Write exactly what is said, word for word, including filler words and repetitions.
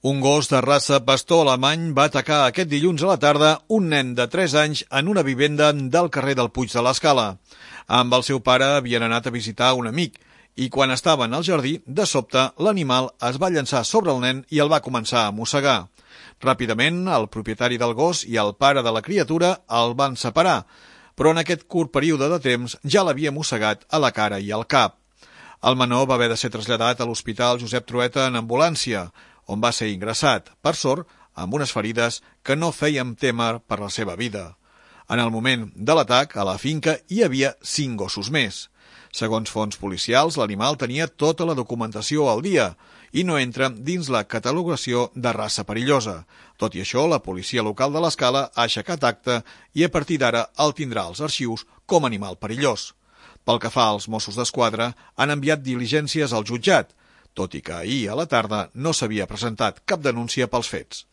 Un gos de raça pastor alemany va atacar aquest dilluns a la tarda un nen de tres anys en una vivenda del carrer del Puig de l'Escala. Amb el seu pare havien anat a visitar un amic i quan estaven al jardí, de sobte, l'animal es va llançar sobre el nen i el va començar a mossegar. Ràpidament, el propietari del gos i el pare de la criatura el van separar, però en aquest curt període de temps ja l'havia mossegat a la cara i al cap. El menor va haver de ser traslladat a l'Hospital Josep Trueta en ambulància, on va ser ingressat, per sort, amb unes ferides que no feien témer per la seva vida. En el moment de l'atac, a la finca hi havia cinc gossos més. Segons fonts policials, l'animal tenia tota la documentació al dia i no entra dins la catalogació de raça perillosa. Tot i això, la policia local de l'Escala ha aixecat acta i a partir d'ara el tindrà als arxius com a animal perillós. Pel que fa als Mossos d'Esquadra, han enviat diligències al jutjat, tot i que ahir a la tarda no s'havia presentat cap denúncia pels fets.